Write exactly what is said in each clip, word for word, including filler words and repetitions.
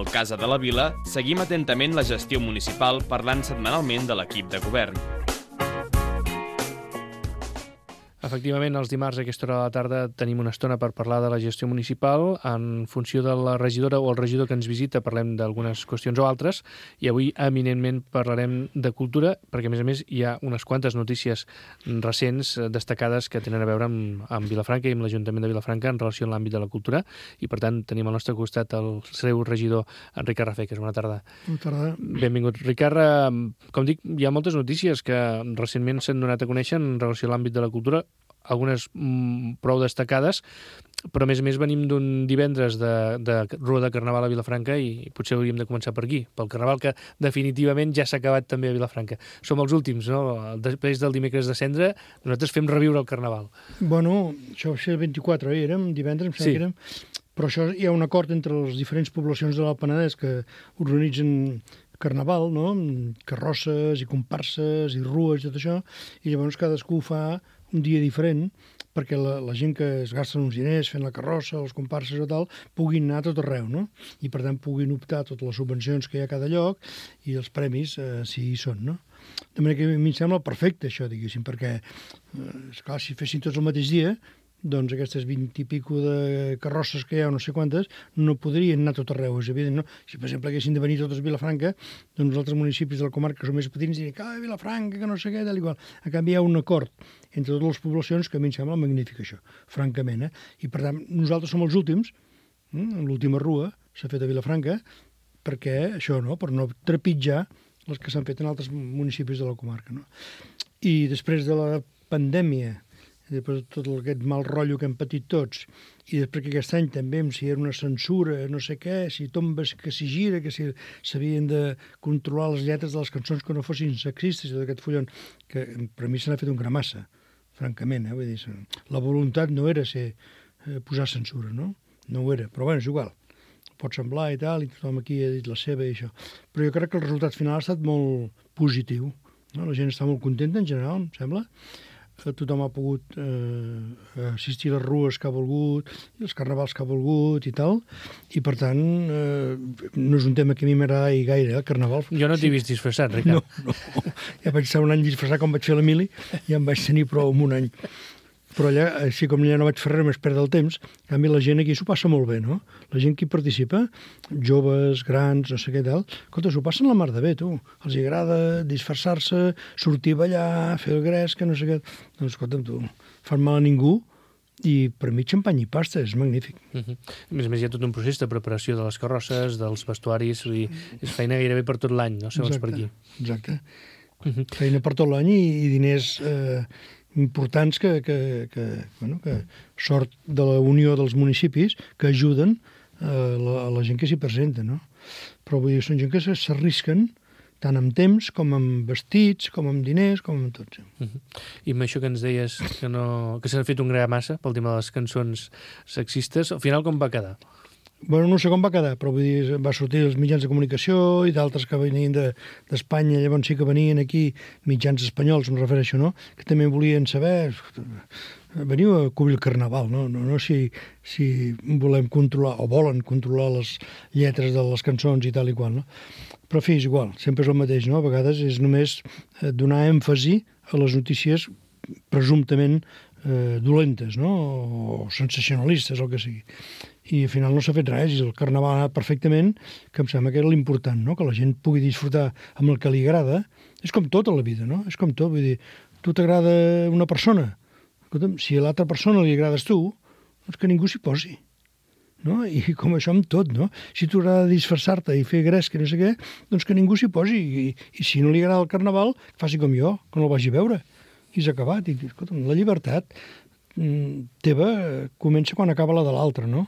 Al Casa de la Vila seguim atentament la gestió municipal parlant setmanalment de l'equip de govern. Efectivament, els dimarts a aquesta hora de la tarda tenim una estona per parlar de la gestió municipal. En funció de la regidora o el regidor que ens visita parlem d'algunes qüestions o altres, i avui eminentment parlarem de cultura, perquè a més a més hi ha unes quantes notícies recents destacades que tenen a veure amb, amb Vilafranca i amb l'Ajuntament de Vilafranca en relació amb l'àmbit de la cultura, i per tant tenim al nostre costat el seu regidor, en Ricard Rafeques. Bona tarda. Bona tarda. Benvingut. Ricard, com dic, hi ha moltes notícies que recentment s'han donat a conèixer en relació a l'àmbit de la cultura, algunes mm, prou destacades, però a més a més venim d'un divendres de, de Rua de Carnaval a Vilafranca i potser hauríem de començar per aquí, pel Carnaval, que definitivament ja s'ha acabat també a Vilafranca. Som els últims, no? Després del dimecres de Cendra, nosaltres fem reviure el Carnaval. Bueno, això va ser el vint-i-quatre, oi? Érem divendres, em sembla Sí. que érem. Però això hi ha un acord entre les diferents poblacions de l'Alt Penedès que organitzen Carnaval, no? Carrosses i comparses i rues i tot això, i llavors cadascú fa un dia diferent perquè la, la gent que es gasten uns diners fent la carrossa, els comparses o tal, puguin anar a tot arreu, no? I per tant puguin optar a totes les subvencions que hi ha a cada lloc i els premis, eh, si hi són, no? De manera que a mi em sembla perfecte això, diguéssim, perquè, eh, esclar, si fessin tots el mateix dia, doncs aquestes vint i pico de carrosses que hi ha, no sé quantes, no podrien anar a tot arreu, és evident, no? Si, per exemple, haguessin de venir totes a Vilafranca, doncs els altres municipis de la comarca que són més petits dirien que ah, Vilafranca, que no sé què, tal i qual. A canvi, hi ha un acord entre totes les poblacions que a mi em sembla magnífic, això, francament, eh? I, per tant, nosaltres som els últims, mm? l'última rua s'ha fet a Vilafranca, perquè això, no?, per no trepitjar les que s'han fet en altres municipis de la comarca, no? I després de la pandèmia, i després de tot aquest mal rotllo que hem patit tots, i després que aquest any també, si era una censura, no sé què, si tombes, que si gira, que si s'havien de controlar les lletres de les cançons que no fossin sexistes, i tot aquest follon, que per a mi se n'ha fet un gramassa, francament, eh? Vull dir, la voluntat no era ser, eh, posar censura, no? No ho era, però bueno, és igual. Pot semblar i tal, i tothom aquí ha dit la seva i això. Però jo crec que el resultat final ha estat molt positiu, no? La gent està molt contenta en general, em sembla. Tothom ha pogut eh, assistir a les rues que ha volgut, i els carnavals que ha volgut i tal, i per tant eh, no és un tema que a mi m'agradi gaire, el carnaval. Jo no t'he vist disfressat, Ricard. No, no. Ja vaig estar un any disfressat com vaig fer l'Emili, ja em vaig tenir prou en un any. Però allà, així com allà no vaig fer res més perdre el temps, a mi la gent aquí s'ho passa molt bé, no? La gent que hi participa, joves, grans, no sé què tal, escolta, s'ho passen la mar de bé, tu. Els agrada disfressar-se, sortir a ballar, fer el gres, que no sé què. Doncs, escolta'm, tu, fan mal a ningú, i per mi xampany i pasta, és magnífic. Uh -huh. A més a més hi ha tot un procés de preparació de les carrosses, dels vestuaris, i és feina gairebé per tot l'any, no? Segons exacte, per aquí. Exacte. Uh -huh. Feina per tot l'any i, i diners eh, importants que, que, que, bueno, que sort de la unió dels municipis que ajuden a la, a la gent que s'hi presenta, no? Però vull dir, són gent que s'arrisquen tant amb temps, com amb vestits, com amb diners, com amb tot. Sí. Uh -huh. I amb això que ens deies que, no, que s'ha fet un gra massa pel tema de les cançons sexistes, al final com va quedar? Bueno, no sé com va quedar, però vull dir, va sortir els mitjans de comunicació i d'altres que venien d'Espanya, de, llavors sí que venien aquí mitjans espanyols, em refereixo, no?, que també volien saber, veniu a cobrir el Carnaval, no, no, no si, si volem controlar, o volen controlar les lletres de les cançons i tal i qual, no? Però, en fi, és igual, sempre és el mateix, no? A vegades és només donar èmfasi a les notícies presumptament eh, dolentes, no?, o sensacionalistes, o el que sigui. I al final no s'ha fet res, i el Carnaval ha anat perfectament, que em sembla que era l'important, no?, que la gent pugui disfrutar amb el que li agrada. És com tot a la vida, no? És com tot, vull dir, tu t'agrada una persona, escolta'm, si a l'altra persona li agrades tu, doncs que ningú s'hi posi, no? I com això amb tot, no? Si t'agrada disfressar-te i fer gresca, no sé què, doncs que ningú s'hi posi, i, i si no li agrada el Carnaval, que faci com jo, que no el vagi a veure, i s'ha acabat. I, escolta'm, la llibertat teva comença quan acaba la de l'altre, no?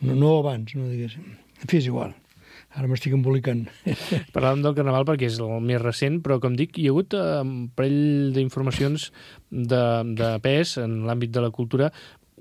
No, no abans, no diguéssim. En fi, és igual. Ara m'estic embolicant. Parlàvem del Carnaval perquè és el més recent, però com dic, hi ha hagut un parell d'informacions de, de pes en l'àmbit de la cultura.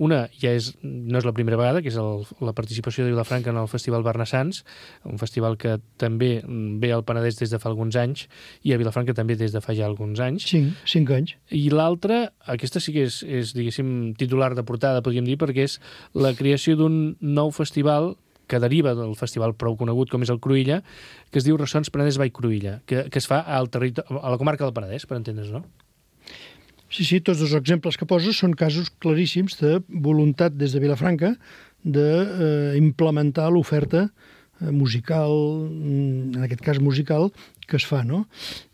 Una ja és, no és la primera vegada, que és el, la participació de Vilafranca en el Festival Barnassans, un festival que també ve al Penedès des de fa alguns anys, i a Vilafranca també des de fa ja alguns anys. Cinc, cinc anys. I l'altra, aquesta sí que és, és, diguéssim, titular de portada, podríem dir, perquè és la creació d'un nou festival que deriva del festival prou conegut com és el Cruïlla, que es diu Ressons Penedès by Cruïlla, que, que es fa al territori, a la comarca del Penedès, per entendre's, no? Sí, sí, tots els exemples que poses són casos claríssims de voluntat des de Vilafranca d'implementar l'oferta musical, en aquest cas musical, que es fa, no?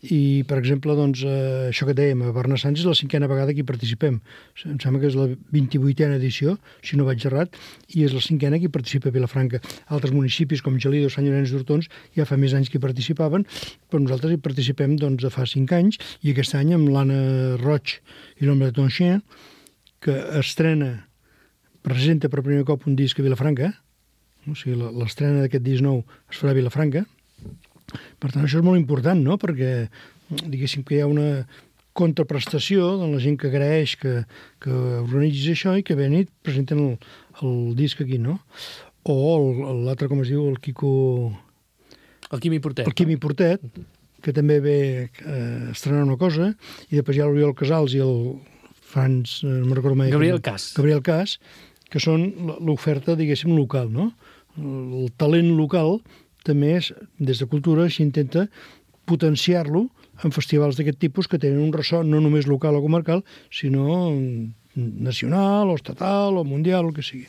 I, per exemple, doncs, eh, això que dèiem, a Bernassans és la cinquena vegada que hi participem. Em sembla que és la vint-i-vuitena edició, si no vaig errat, i és la cinquena que hi participa a Vilafranca. Altres municipis, com Gelida o Sant Llorenç d'Hortons, ja fa més anys que hi participaven, però nosaltres hi participem doncs, de fa cinc anys, i aquest any amb l'Anna Roig i l'Home de Tonchien, que estrena, presenta per primer cop un disc a Vilafranca, o sigui, l'estrena d'aquest disc nou es farà a Vilafranca. Per tant, això és molt important, no?, perquè, diguéssim, que hi ha una contraprestació de la gent que agraeix que, que organitzis això i que ven i presenten el, el disc aquí, no? O l'altre, com es diu, el Quico... El Quimi Portet. El Quimi Portet, que també ve eh, estrenar una cosa, i després hi ha l'Oriol Casals i el Franz... Eh, no recordo mai... Gabriel Cas. Gabriel Cas, que són l'oferta, diguéssim, local, no? El talent local també és, des de cultura, s'intenta potenciar-lo en festivals d'aquest tipus que tenen un ressò no només local o comarcal, sinó nacional o estatal o mundial, el que sigui.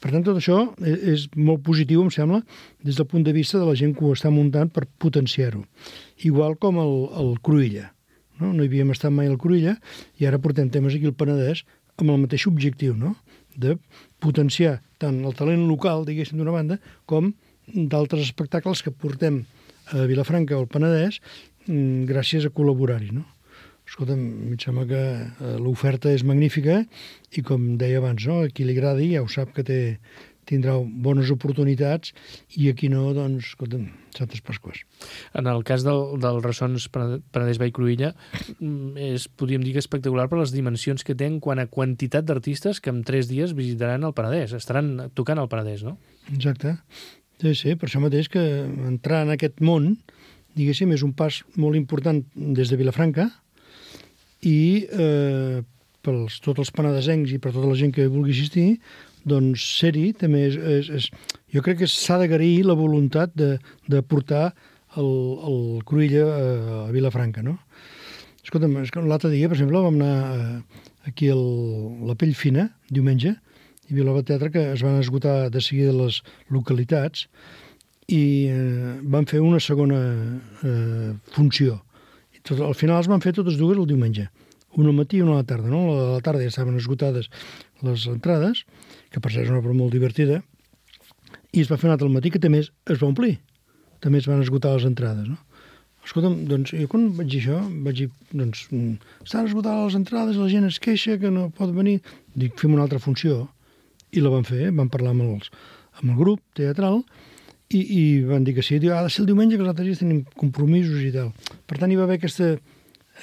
Per tant, tot això és molt positiu, em sembla, des del punt de vista de la gent que ho està muntant per potenciar-ho. Igual com el, el Cruïlla. No? no hi havíem estat mai al Cruïlla i ara portem temes aquí al Penedès amb el mateix objectiu, no?, de potenciar tant el talent local, diguéssim, d'una banda, com d'altres espectacles que portem a Vilafranca o al Penedès gràcies a col·laborar-hi, no? Escolta'm, em sembla que l'oferta és magnífica i, com deia abans, no?, a qui li agradi ja ho sap que té, tindrà bones oportunitats i aquí no, doncs, escolta'm, Santes Pasques. En el cas del, del Ressons Penedès by Cruïlla és, podríem dir, que espectacular per les dimensions que té en quant a quantitat d'artistes que en tres dies visitaran el Penedès, estaran tocant al Penedès, no? Exacte. Sí, sí, per això mateix que entrar en aquest món, diguéssim, és un pas molt important des de Vilafranca i eh, per tots els penedesencs i per tota la gent que vulgui assistir, doncs ser-hi també és, és, és... Jo crec que s'ha d'agrair la voluntat de, de portar el, el Cruïlla a, a Vilafranca, no? Escolta'm, l'altre dia, per exemple, vam anar aquí a la Pell Fina, diumenge, hi havia l'obra de teatre que es van esgotar de seguida les localitats i eh, van fer una segona eh, funció. I tot, al final es van fer totes dues el diumenge, una al matí i una a la tarda, no? A la tarda ja estaven esgotades les entrades, que per ser és una obra molt divertida, i es va fer una altra al matí que també es, es va omplir. També es van esgotar les entrades, no? Escolta'm, doncs, jo quan vaig dir això, vaig dir, doncs, estan esgotades les entrades, la gent es queixa que no pot venir. Dic, fem una altra funció. I la van fer, van parlar amb, els, amb el grup teatral i, i van dir que sí. Diu, ha de ser el diumenge, que els altres dies tenim compromisos i tal. Per tant, hi va haver aquesta,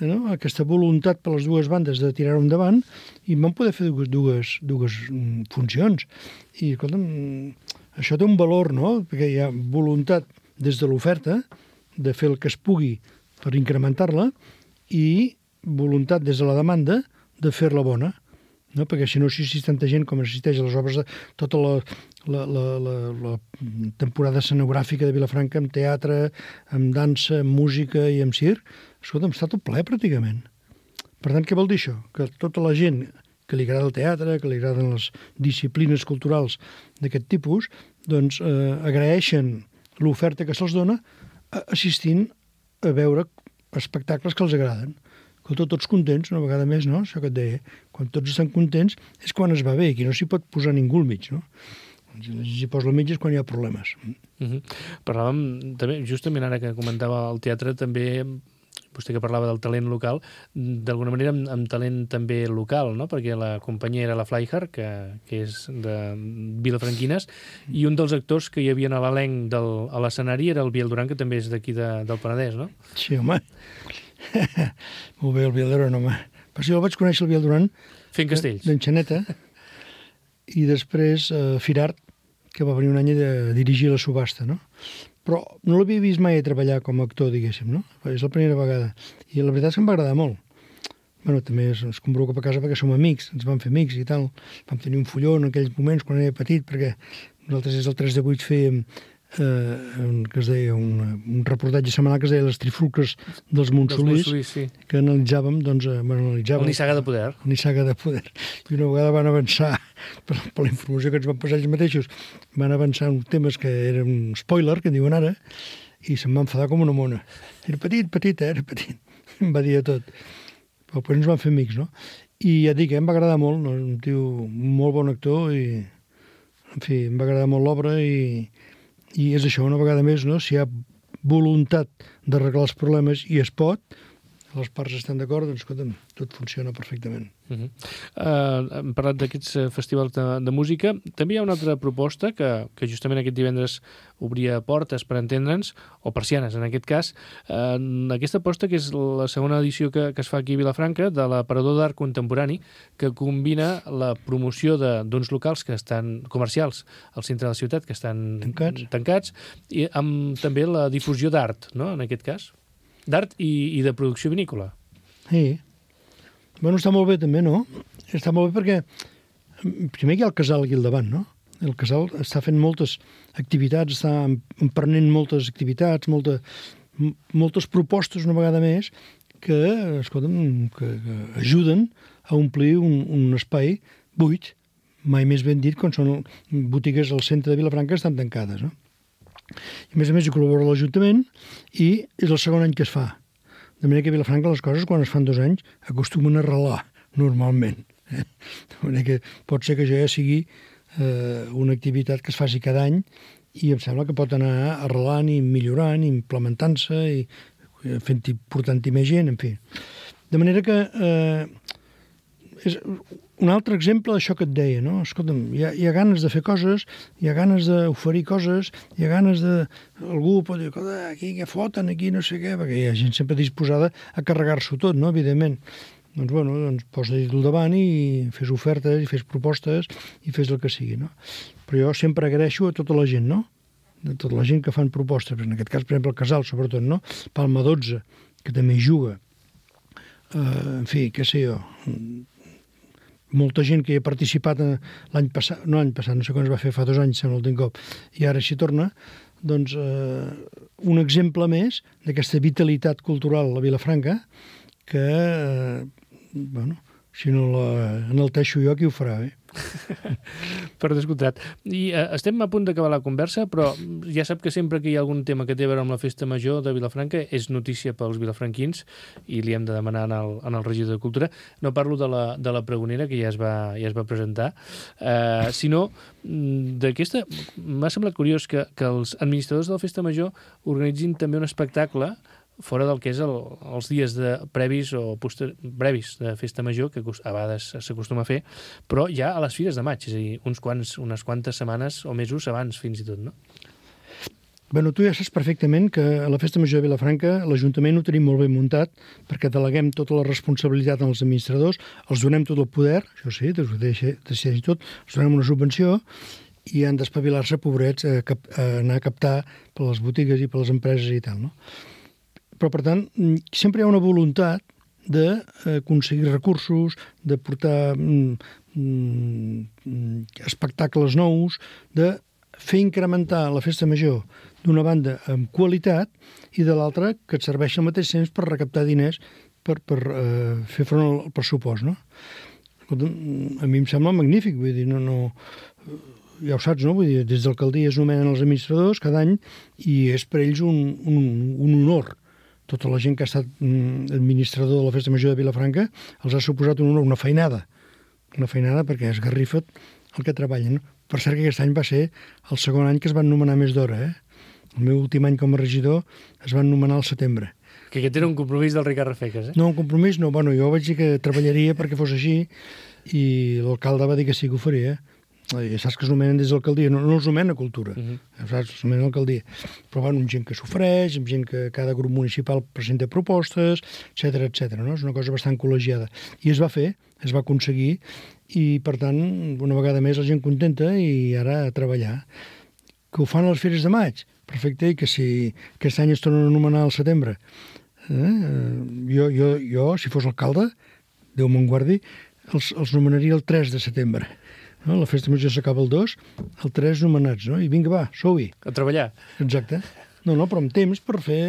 no, aquesta voluntat per les dues bandes de tirar-ho endavant i van poder fer dues, dues, dues funcions. I, escolta'm, això té un valor, no?, perquè hi ha voluntat des de l'oferta de fer el que es pugui per incrementar-la i voluntat des de la demanda de fer-la bona, no? Perquè si no assistís tanta gent com assisteix a les obres de tota la, la, la, la, la temporada escenogràfica de Vilafranca, amb teatre, amb dansa, amb música i amb circ, escolta'm, està tot ple pràcticament. Per tant, què vol dir això? Que tota la gent que li agrada el teatre, que li agraden les disciplines culturals d'aquest tipus, doncs eh, agraeixen l'oferta que se'ls dona assistint a veure espectacles que els agraden. Escolta, tots contents, una vegada més, no? Això que et deia. Quan tots estan contents és quan es va bé, aquí no s'hi pot posar ningú al mig, no? Si s'hi posa al mig és quan hi ha problemes. Uh-huh. Parlàvem, també, justament ara que comentava el teatre, també, vostè que parlava del talent local, d'alguna manera amb, amb talent també local, no? Perquè la companyia era la Flyhard, que, que és de Vilafranquines, i un dels actors que hi havia a l'elenc del, a l'escenari era el Biel Duran, que també és d'aquí de, del Penedès, no? Sí, home. Molt bé, el Biel Duran, home. Però si el vaig conèixer, el Biel Duran... Fent castells. D'Enxaneta. I després eh, Firart, que va venir un any a dirigir la subhasta, no? Però no l'havia vist mai a treballar com a actor, diguéssim, no? És la primera vegada. I la veritat és que em va agradar molt. Bueno, també es, es convoca a casa perquè som amics, ens vam fer amics i tal. Vam tenir un fulló en aquells moments quan era petit, perquè Nosaltres des del tres de vuit fèiem eh, un, que es deia un, un reportatge setmanal que es deia Les trifulques dels Montsolís, sí. que analitzàvem, doncs, eh, bueno, analitzàvem... El Nissaga de Poder. El Nissaga de Poder. I una vegada van avançar, per, per la informació que ens van passar ells mateixos, van avançar en temes que eren un spoiler, que diuen ara, i se'm va enfadar com una mona. Era petit, petit, eh? Era petit. Em va dir de tot. Però després ens van fer amics, no? I ja dic, eh, em va agradar molt, no? Un tio, un molt bon actor, i en fi, em va agradar molt l'obra, i, i és això, una vegada més, no? Si hi ha voluntat d'arreglar els problemes i es pot, les parts estan d'acord, doncs, escolta'm, tot funciona perfectament. Uh -huh. uh, hem parlat d'aquests festivals de, de música. També hi ha una altra proposta que, que justament aquest divendres obria portes, per entendre'ns, o persianes, en aquest cas. Uh, aquesta aposta, que és la segona edició que, que es fa aquí a Vilafranca, de l'Aparador d'Art Contemporani, que combina la promoció d'uns locals que estan comercials al centre de la ciutat, que estan tancats, tancats i amb també la difusió d'art, no?, en aquest cas. D'art i, i de producció vinícola. Sí. Bueno, està molt bé també, no? Està molt bé perquè primer hi ha el casal aquí al davant, no? El casal està fent moltes activitats, està emprenent moltes activitats, molta, moltes propostes una vegada més que, escolta'm, que, que ajuden a omplir un, un espai buit, mai més ben dit, quan són botigues al centre de Vilafranca que estan tancades, no? I a més a més hi col·labora l'Ajuntament i és el segon any que es fa. De manera que a Vilafranca les coses, quan es fan dos anys, acostumen a arrelar, normalment. Eh? De manera que pot ser que això ja sigui eh, una activitat que es faci cada any i em sembla que pot anar arrelant i millorant, i implementant-se i fent-hi, portant-hi més gent, en fi. De manera que eh, és un altre exemple d'això que et deia, no? Escolta'm, hi ha, hi ha ganes de fer coses, hi ha ganes d'oferir coses, hi ha ganes de... Algú pot dir, aquí què foten, aquí no sé què, perquè hi ha gent sempre disposada a carregar-s'ho tot, no?, evidentment. Doncs, bueno, doncs posa-hi al davant i fes ofertes, i fes propostes, i fes el que sigui, no? Però jo sempre agraeixo a tota la gent, no?, de tota la gent que fan propostes, en aquest cas, per exemple, el Casal, sobretot, no?, Palma dotze, que també hi juga, uh, en fi, què sé jo, molta gent que hi ha participat l'any passat, no l'any passat, no sé quan es va fer, fa dos anys, sembla l'últim cop, i ara s'hi torna, doncs eh, un exemple més d'aquesta vitalitat cultural a Vilafranca que, eh, bueno, si no l'enalteixo jo, qui ho farà, eh? Per descomptat. I eh, estem a punt d'acabar la conversa, però ja sap que sempre que hi ha algun tema que té a veure amb la Festa Major de Vilafranca és notícia pels vilafranquins i li hem de demanar en el, en el regidor de Cultura. No parlo de la, de la pregonera, que ja es va, ja es va presentar, eh, sinó d'aquesta... M'ha semblat curiós que, que els administradors de la Festa Major organitzin també un espectacle fora del que és el, els dies de previs o poster, brevis de Festa Major, que a vegades s'acostuma a fer, però ja a les fires de maig, és a dir, uns quants, unes quantes setmanes o mesos abans, fins i tot, no? Bueno, tu ja saps perfectament que a la Festa Major de Vilafranca l'Ajuntament ho tenim molt ben muntat perquè deleguem tota la responsabilitat als administradors, els donem tot el poder, això sí, decideix tot, els donem una subvenció i han d'espavilar-se, pobrets, a, cap, a anar a captar per les botigues i per les empreses i tal, no? Però, per tant, sempre hi ha una voluntat d'aconseguir recursos, de portar mm, mm, espectacles nous, de fer incrementar la Festa Major d'una banda amb qualitat i de l'altra que et serveixi al mateix temps per recaptar diners per, per eh, fer front al pressupost, no? Escolta, a mi em sembla magnífic, vull dir, no... no ja ho saps, no? Vull dir, des d'alcaldia es nomenen els administradors cada any i és per ells un, un, un honor. Tota la gent que ha estat administrador de la Festa Major de Vilafranca els ha suposat un honor, una feinada. Una feinada perquè es garrifa el que treballen. Per cert que aquest any va ser el segon any que es van nomenar més d'hora, eh? El meu últim any com a regidor es van nomenar al setembre. Que aquest era un compromís del Ricard Rafeques, eh? No, un compromís no. Bueno, jo vaig dir que treballaria perquè fos així i l'alcalde va dir que sí que ho faria, eh? Ja saps que es nomenen des de l'alcaldia, no, no els nomena Cultura, uh-huh. Ja saps, es nomena l'alcaldia. Però bueno, amb gent que s'ofereix, amb gent que cada grup municipal presenta propostes, etcètera, etcètera, no? És una cosa bastant col·legiada. I es va fer, es va aconseguir, i per tant, una vegada més la gent contenta i ara a treballar. Que ho fan a les fires de maig, perfecte, i que si aquest any es tornen a anomenar al setembre. Eh? Jo, jo, jo, si fos alcalde, Déu me'n guardi, els, els nomenaria el tres de setembre. no? La festa major s'acaba el dos, el tres nomenats, no? I vinga, va, sou-hi. A treballar. Exacte. No, no, però amb temps per fer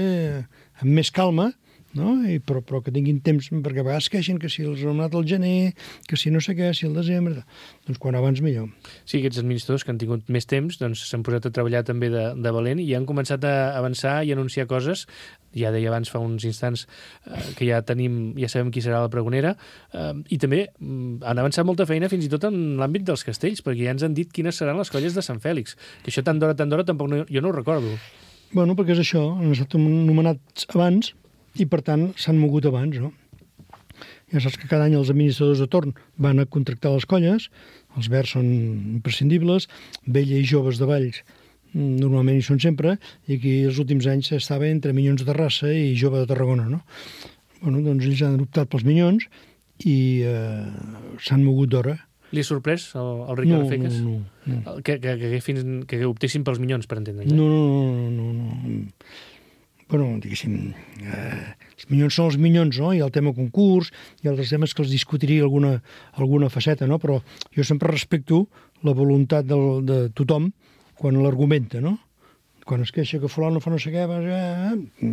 amb més calma, no? I, però, però que tinguin temps, perquè a vegades queixen que si els han nomenat al gener, que si no sé què, si al desembre... Doncs quan abans millor. Sí, aquests administradors que han tingut més temps doncs s'han posat a treballar també de, de valent i han començat a avançar i anunciar coses. Ja deia abans fa uns instants eh, que ja tenim, ja sabem qui serà la pregonera, eh, i també mm, han avançat molta feina fins i tot en l'àmbit dels castells, perquè ja ens han dit quines seran les colles de Sant Fèlix, que això tant d'hora, tant d'hora, tampoc no, jo no ho recordo. Bueno, perquè és això, han estat nomenats abans i, per tant, s'han mogut abans, no? Ja saps que cada any els administradors de torn van a contractar les colles, els verds són imprescindibles, vella i joves de Valls normalment hi són sempre, i aquí els últims anys estava entre Minyons de Terrassa i Jove de Tarragona, no? Bueno, doncs ells han optat pels Minyons i eh, s'han mogut d'hora. Li ha sorprès el, el Ricard no, Feques? No, no, no. Que, que, que, fins, que optessin pels Minyons, per entendre'ns. No, no, no, no, no. Bueno, diguéssim, eh, els Minyons són els Minyons, no? Hi ha el tema concurs, hi ha altres temes que els discutiria alguna, alguna faceta, no? Però jo sempre respecto la voluntat del, de tothom quan l'argumenta, no? Quan es queixa que fulano fa no sé què, eh,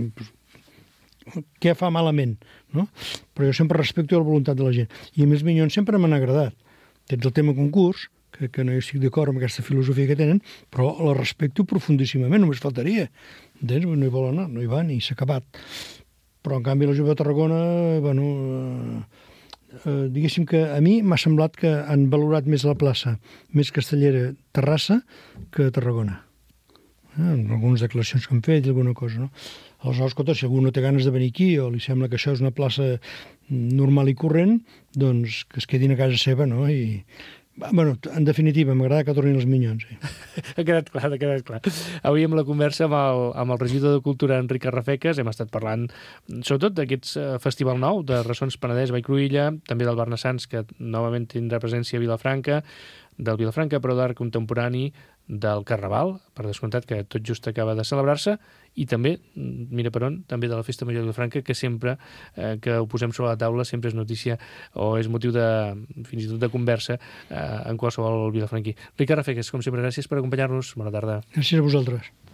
què fa malament, no? Però jo sempre respecto la voluntat de la gent. I a mi els Minyons sempre m'han agradat. Tens el tema concurs, que, que no hi estic d'acord amb aquesta filosofia que tenen, però la respecto profundíssimament, només faltaria. Entens? No hi volen anar, no hi van i s'ha acabat. Però, en canvi, la Jove de Tarragona, bueno, eh, eh, diguéssim que a mi m'ha semblat que han valorat més la plaça, més castellera Terrassa que Tarragona. Eh, en algunes declaracions que han fet i alguna cosa, no? Aleshores, escolta, si algú no té ganes de venir aquí o li sembla que això és una plaça normal i corrent, doncs que es quedin a casa seva, no? I, bueno, en definitiva, m'agrada que tornin els Minyons. Sí. Ha quedat clar, ha quedat clar. Avui amb la conversa amb el, amb el regidor de Cultura, Enric Carrafeques, hem estat parlant sobretot d'aquest festival nou, de Ressons Penedès, Vallcruïlla, també del Barnassans, que novament tindrà presència a Vilafranca, del Vilafranca, però d'art contemporani, del Carnaval, per descomptat, que tot just acaba de celebrar-se, i també, mira per on, també de la Festa Major de Vilafranca, que sempre eh, que ho posem sobre la taula sempre és notícia o és motiu de, fins i tot de conversa eh, en qualsevol vilafranquí. Ricard Rafeques, com sempre, gràcies per acompanyar-nos. Bona tarda. Gràcies a vosaltres.